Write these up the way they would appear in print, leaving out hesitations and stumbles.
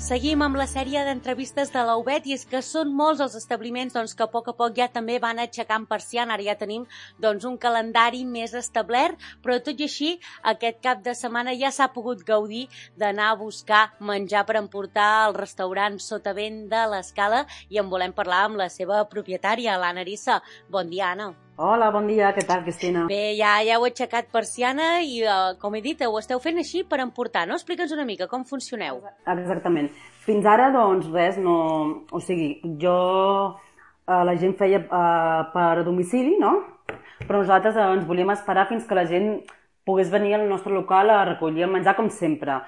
Seguim amb la sèrie d'entrevistes de la UBET i és que són molts els establiments que a poc ja també van aixecant persiana. Ara ja tenim un calendari més establert, però tot i així aquest cap de setmana ja s'ha pogut gaudir d'anar a buscar menjar per emportar al restaurant Sotavent de l'Escala i en volem parlar amb la seva propietària, l'Anna Arissa. Bon dia, Anna. Hola, bon dia, què tal, Cristina? Bé, ja heu aixecat persiana i, com he dit, ho esteu fent així per emportar, no? Explica'ns una mica com funcioneu. Exactament. Fins ara, doncs, res, no... O sigui, la gent feia per domicili, no? Però nosaltres ens volíem esperar fins que la gent pogués venir al nostre local a recollir el menjar, com sempre.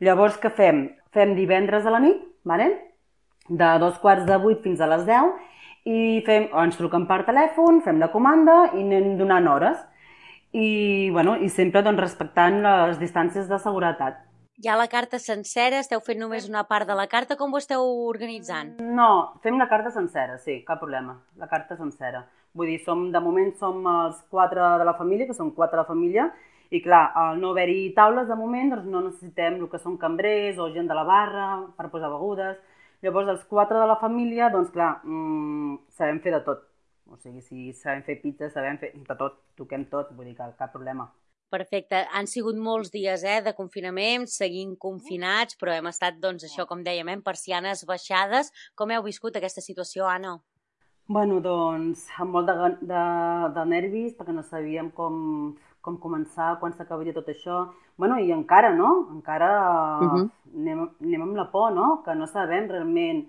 Llavors, què fem? Fem divendres a la nit, vale? De 7:45 fins a les 10, i ens truquen per telèfon, fem la comanda i anem donant hores. I sempre respectant les distàncies de seguretat. Hi ha la carta sencera? Esteu fent només una part de la carta? Com ho esteu organitzant? No, fem la carta sencera, sí, cap problema. La carta sencera. Vull dir, de moment som els 4 de la família, que són 4 de la família, i clar, al no haver-hi taules de moment, doncs no necessitem el que són cambrers o gent de la barra per posar begudes. Llavors, els 4 de la família, doncs clar, sabem fer de tot. O sigui, si sabem fer pizza, sabem fer de tot, toquem tot, vull dir que cap problema. Perfecte. Han sigut molts dies de confinament, seguint confinats, però hem estat, això, com dèiem, persianes baixades. Com heu viscut aquesta situació, Anna? Bueno, doncs, amb molt de nervis, perquè no sabíem com començar, quan s'acabaria tot això. Bueno, i encara, no? Encara anem amb la por, no? Que no sabem realment,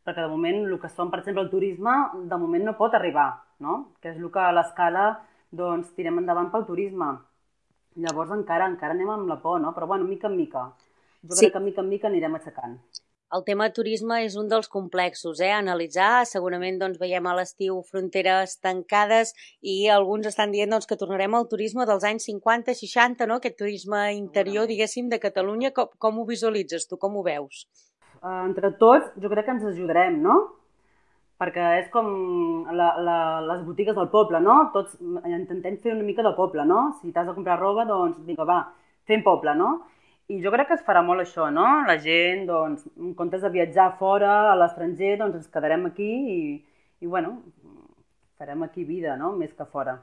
perquè de moment el que són, per exemple, el turisme, de moment no pot arribar, no? Que és el que a l'Escala, doncs, tirem endavant pel turisme. Llavors encara anem amb la por, no? Però bueno, mica en mica. Jo crec que mica en mica anirem aixecant. El tema turisme és un dels complexos, a analitzar. Segurament veiem a l'estiu fronteres tancades i alguns estan dient que tornarem al turisme dels anys 50-60, no? Aquest turisme interior, diguéssim, de Catalunya. Com ho visualitzes tu? Com ho veus? Entre tots, jo crec que ens ajudarem, no? Perquè és com les botigues del poble, no? Tots intentem fer una mica de poble, no? Si t'has de comprar roba, doncs vinga, va, fem poble, no? I jo crec que es farà molt això, no? La gent, doncs, en comptes de viatjar fora, a l'estranger, doncs ens quedarem aquí i bueno, farem aquí vida, no? Més que fora.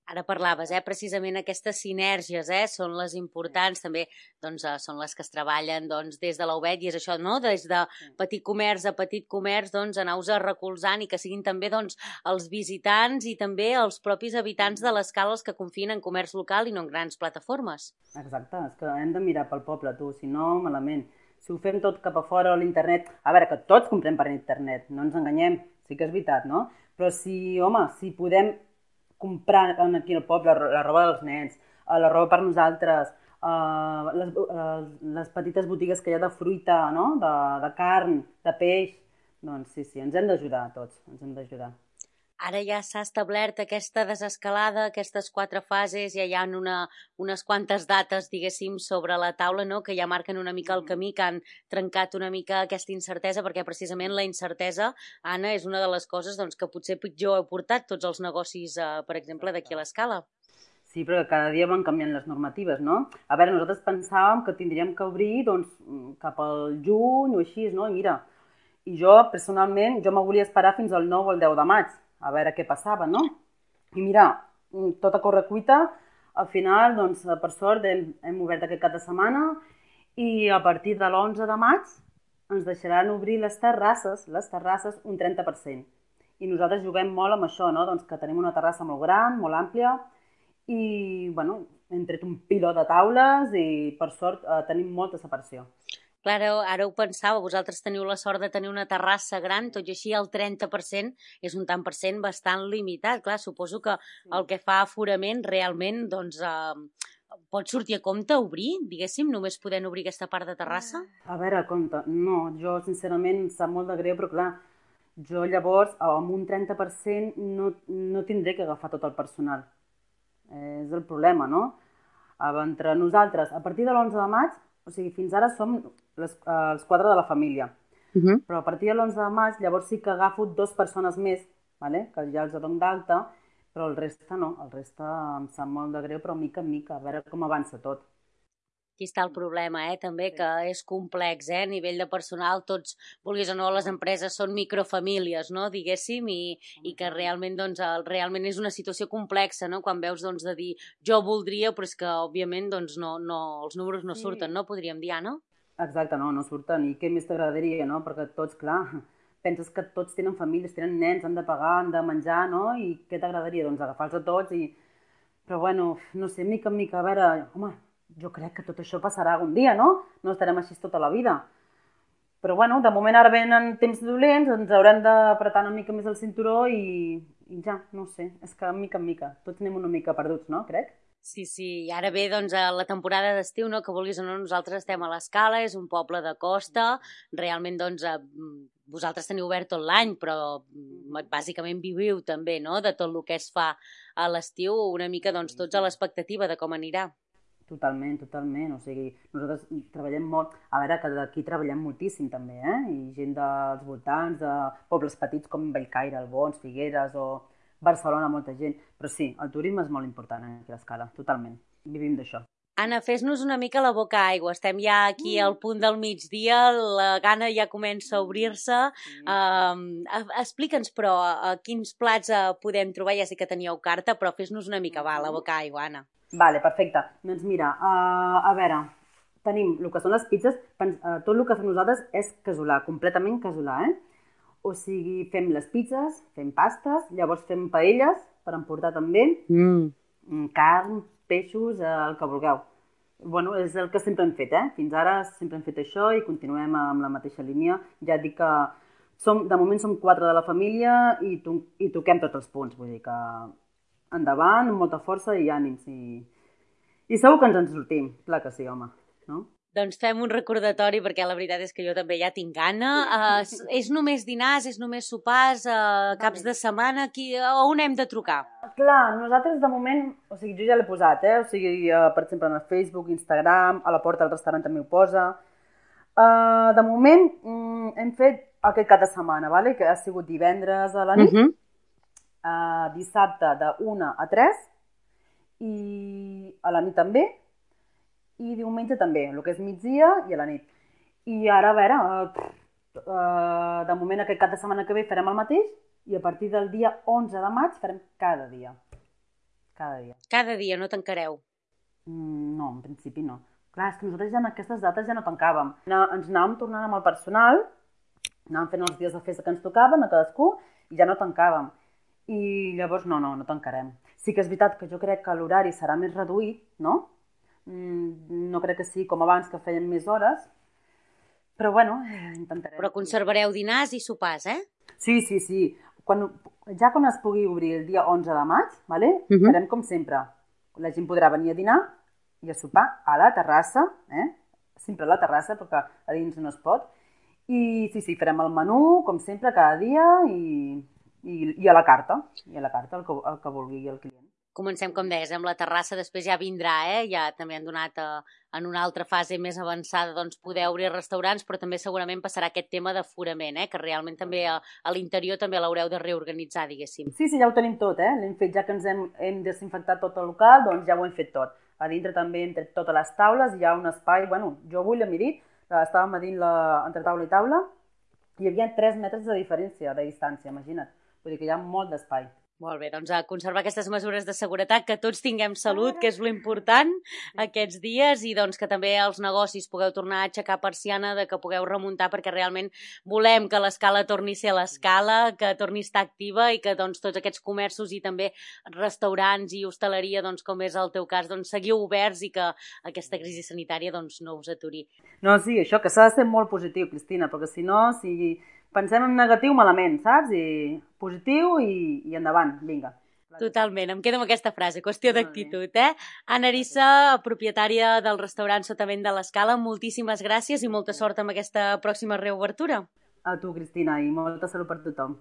Ara parlaves, precisament aquestes sinergies són les importants, també són les que es treballen des de la UBET i és això, no? Des de petit comerç a petit comerç, anar-vos recolzant i que siguin també els visitants i també els propis habitants de l'Escala els que confien en comerç local i no en grans plataformes. Exacte, és que hem de mirar pel poble, tu, si no, malament. Si ho fem tot cap a fora a l'internet, a veure, que tots comprem per internet, no ens enganyem, sí que és veritat, no? Però si podem comprar aquí al poble la roba dels nens, la roba per nosaltres, les petites botigues que hi ha de fruita, no? De carn, de peix, doncs sí, ens hem d'ajudar tots, ens hem d'ajudar. Ara ja s'ha establert aquesta desescalada, aquestes 4 fases, ja hi ha unes quantes dates, diguéssim, sobre la taula, no? Que ja marquen una mica el camí, que han trencat una mica aquesta incertesa, perquè precisament la incertesa, Anna, és una de les coses que potser pitjor heu portat tots els negocis, per exemple, d'aquí a l'Escala. Sí, però cada dia van canviant les normatives, no? A veure, nosaltres pensàvem que tindríem que obrir cap al juny o així, no? I mira, jo personalment, jo me volia esperar fins al 9 o el 10 de maig, a veure què passava, no? I mira, tot a correcuita, al final, doncs, per sort, hem obert aquest cap de setmana i a partir de l'11 de maig ens deixaran obrir les terrasses un 30%. I nosaltres juguem molt amb això, no? Doncs que tenim una terrassa molt gran, molt àmplia i, bueno, hem tret un piló de taules i, per sort, tenim molta separació. Clar, ara ho pensava, vosaltres teniu la sort de tenir una terrassa gran, tot i així el 30% és un tant per cent bastant limitat. Clar, suposo que el que fa aforament realment, pot sortir a compte obrir, diguéssim, només podent obrir aquesta part de terrassa? A veure, compte, no, jo sincerament em sap molt de greu, però clar, jo llavors amb un 30% no tindré que agafar tot el personal. És el problema, no? Entre nosaltres, a partir de l'11 de maig, o sigui, fins ara som els 4 de la família. Però a partir de l'11 de maig llavors sí que agafo 2 persones més, que ja els dono d'alta, però el reste no, el reste em sap molt de greu, però mica en mica, a veure com avança tot. Aquí està el problema, també, que és complex, a nivell de personal, tots, vulguis o no, les empreses són microfamílies, no?, diguéssim, i que realment, doncs, realment és una situació complexa, no?, quan veus, doncs, de dir, jo voldria, però és que, òbviament, doncs, no, els números no surten, no?, podríem dir, no? Exacte, no surten, i què més t'agradaria, no?, perquè tots, clar, penses que tots tenen famílies, tenen nens, han de pagar, han de menjar, no?, i què t'agradaria? Doncs agafar-los a tots i... Però, bueno, no sé, mica en mica, a veure, home, jo crec que tot això passarà algun dia, no? No estarem així tota la vida. Però, bueno, de moment ara venen temps dolents, ens haurem d'apretar una mica més el cinturó i ja, no sé, és que mica en mica, tots anem una mica perduts, no? Crec. Sí, i ara ve, doncs, a la temporada d'estiu, no?, que vulguis o no, nosaltres estem a l'Escala, és un poble de costa, realment, doncs, vosaltres teniu obert tot l'any, però bàsicament viviu també, no?, de tot el que es fa a l'estiu, una mica, doncs, tots a l'expectativa de com anirà. Totalment, o sigui, nosaltres treballem molt, a veure, que d'aquí treballem moltíssim també, i gent dels voltants, de pobles petits com Bellcaire, Albons, Figueres o Barcelona, molta gent, però sí, el turisme és molt important aquí a l'Escala, totalment, vivim d'això. Anna, fes-nos una mica la boca aigua, estem ja aquí al punt del migdia, la gana ja comença a obrir-se, explica'ns però quins plats podem trobar, ja sé que teníeu carta, però fes-nos una mica, va, la boca aigua, Anna. Vale, perfecte. Doncs mira, a veure, tenim el que són les pizzas, tot el que fem nosaltres és casolà, completament casolà, O sigui, fem les pizzas, fem pastes, llavors fem paelles per emportar també, carn, peixos, el que vulgueu. Bueno, és el que sempre hem fet, Fins ara sempre hem fet això i continuem amb la mateixa línia. Ja et dic que de moment som 4 de la família i toquem tots els punts, vull dir que endavant, amb molta força i ànims. I segur que ens en sortim, clar que sí, home, no? Doncs fem un recordatori, perquè la veritat és que jo també ja tinc gana. És només dinars, és només sopars, caps de setmana, on hem de trucar? Clar, nosaltres de moment, o sigui, jo ja l'he posat, O sigui, per exemple, en el Facebook, Instagram, a la porta del restaurant també ho posa. De moment hem fet aquest cap de setmana, vale? Que ha sigut divendres a la nit, dissabte de 1 a 3 i a la nit també, i diumenge també, el que és migdia i a la nit. I ara, a veure, de moment aquest cap de setmana que ve farem el mateix i a partir del dia 11 de maig farem cada dia. Cada dia. Cada dia, no tancareu? No, en principi no. Clar, és que nosaltres ja en aquestes dates ja no tancàvem. Ens anàvem tornant amb el personal, anàvem fent els dies de festa que ens tocaven a cadascú i ja no tancàvem. I llavors no tancarem. Sí que és veritat que jo crec que l'horari serà més reduït, no? No crec que sigui com abans, que feien més hores, però bueno, intentarem. Però conservareu dinars i sopars, Sí. Ja quan es pugui obrir el dia 11 de maig, vale? Farem com sempre. La gent podrà venir a dinar i a sopar a la terrassa, sempre a la terrassa, perquè a dins no es pot. I sí, farem el menú, com sempre, cada dia i a la carta, el que vulgui el client. Comencem, com deies, amb la terrassa, després ja vindrà, ja també han donat en una altra fase més avançada, doncs poder obrir restaurants, però també segurament passarà aquest tema d'aforament, que realment també a l'interior també l'haureu de reorganitzar, diguéssim. Sí, ja ho tenim tot, l'hem fet, ja que ens hem desinfectat tot el local, doncs ja ho hem fet tot. A dintre també hem tret totes les taules, hi ha un espai, bueno, jo avui l'he mirat, estàvem a dins entre taula i taula, hi havia 3 metres de diferència, de distància, imagina't. Vull dir que hi ha molt d'espai. Molt bé, doncs a conservar aquestes mesures de seguretat, que tots tinguem salut, que és l'important aquests dies, i doncs que també els negocis pugueu tornar a aixecar persiana, que pugueu remuntar, perquè realment volem que l'Escala torni a ser l'Escala, que torni a estar activa i que doncs tots aquests comerços i també restaurants i hostaleria, doncs com és el teu cas, doncs seguiu oberts i que aquesta crisi sanitària doncs no us aturi. No, sí, això, que s'ha de ser molt positiu, Cristina, perquè si no, si pensem en negatiu malament, saps? I positiu i endavant, vinga. Totalment, em quedo amb aquesta frase, qüestió d'actitud, Anna Arissa, propietària del restaurant Sotavent de l'Escala, moltíssimes gràcies i molta sort amb aquesta pròxima reobertura. A tu, Cristina, i molta salut per tothom.